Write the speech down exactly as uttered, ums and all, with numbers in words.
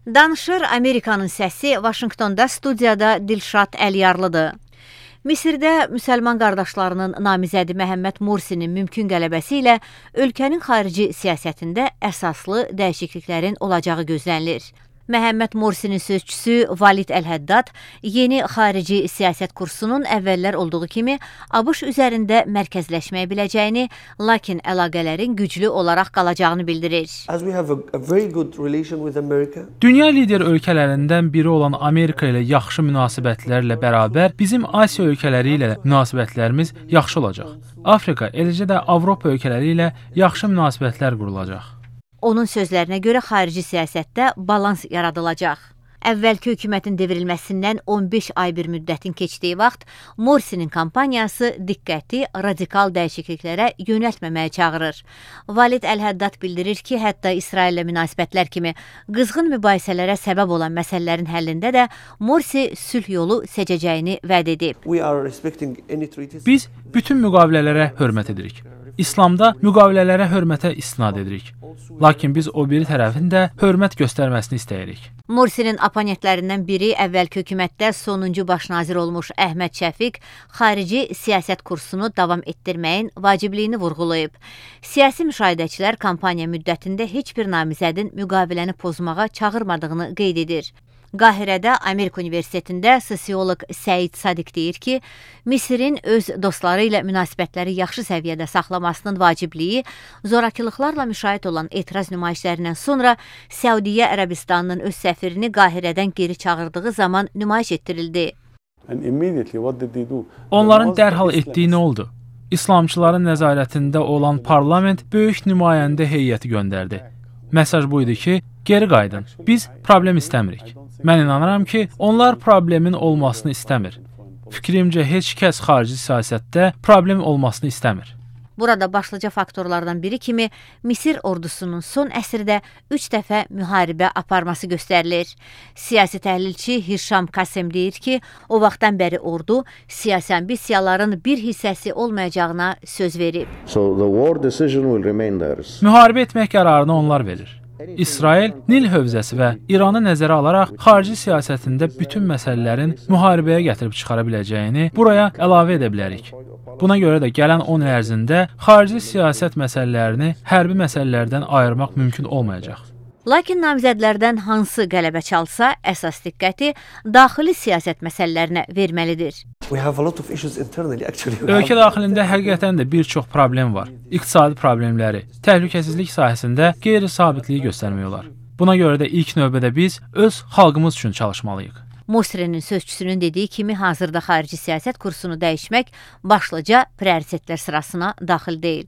Danışır Amerikanın səsi Vaşinqtonda studiyada Dilşad Əliyarlıdır. Misirdə müsəlman qardaşlarının namizədi Məhəmməd Mursinin mümkün qələbəsi ilə ölkənin xarici siyasətində əsaslı dəyişikliklərin olacağı gözlənilir. Məhəmməd Mursinin sözçüsü Valid Əl-Həddad yeni xarici siyasət kursunun əvvəllər olduğu kimi ABŞ üzərində mərkəzləşməyə biləcəyini, lakin əlaqələrin güclü olaraq qalacağını bildirir. Dünya lider ölkələrindən biri olan Amerika ilə yaxşı münasibətlərlə bərabər bizim Asiya ölkələri ilə münasibətlərimiz yaxşı olacaq. Afrika, eləcə də Avropa ölkələri ilə yaxşı münasibətlər qurulacaq. Onun sözlərinə görə xarici siyasətdə balans yaradılacaq. Əvvəlki hökumətin devrilməsindən on beş ay bir müddətin keçdiyi vaxt Mursinin kampaniyası diqqəti radikal dəyişikliklərə yönəltməməyə çağırır. Valid Əl-Həddad bildirir ki, hətta İsraillə münasibətlər kimi qızğın mübahisələrə səbəb olan məsələlərin həllində də Mursi sülh yolu seçəcəyini vəd edib. Biz bütün müqavilələrə hörmət edirik. İslamda müqavilələrə hörmətə istinad edirik. Lakin biz o biri tərəfin də hörmət göstərməsini istəyirik. Mursinin oponentlərindən biri əvvəlki hökumətdə sonuncu baş nazir olmuş Əhməd Şəfiq xarici siyasət kursunu davam etdirməyin vacibliyini vurğulayıb. Siyasi müşahidəçilər kampaniya müddətində heç bir namizədin müqaviləni pozmağa çağırmadığını qeyd edir. Qahirədə Amerika Universitetində sosioloq Səid Sadiq deyir ki, Misirin öz dostları ilə münasibətləri yaxşı səviyyədə saxlamasının vacibliyi zorakılıqlarla müşahidə olan etiraz nümayişlərindən sonra Səudiyyə Ərəbistanının öz səfirini Qahirədən geri çağırdığı zaman nümayiş etdirildi. Onların dərhal etdiyi nə oldu? İslamçıların nəzarətində olan parlament böyük nümayəndə heyəti göndərdi. Mesaj buydu ki, geri qayıdın, biz problem istəmirik. Mən inanıram ki, onlar problemin olmasını istəmir. Fikrimcə, heç kəs xarici siyasətdə problem olmasını istəmir. Burada başlıca faktorlardan biri kimi Misir ordusunun son əsrdə üç dəfə müharibə aparması göstərilir. Siyasi təhlilçi Hişam Kasem deyir ki, o vaxtdan bəri ordu siyasi ambisiyaların bir hissəsi olmayacağına söz verib. Müharibə etmək qərarını onlar verir. İsrail, Nil hövzəsi və İranı nəzərə alaraq xarici siyasətində bütün məsələlərin müharibəyə gətirib çıxara biləcəyini buraya əlavə edə bilərik. Buna görə də gələn on il ərzində xarici siyasət məsələlərini hərbi məsələlərdən ayırmaq mümkün olmayacaq. Lakin namizədlərdən hansı qələbə çalsa, əsas diqqəti daxili siyasət məsələlərinə verməlidir. Ölkə daxilində həqiqətən də bir çox problem var. İqtisadi problemləri, təhlükəsizlik sahəsində qeyri-sabitliyi göstərmək olar. Buna görə də ilk növbədə biz öz xalqımız üçün çalışmalıyıq. Mursinin sözçüsünün dediyi kimi hazırda xarici siyasət kursunu dəyişmək başlıca prioritetlər sırasına daxil deyil.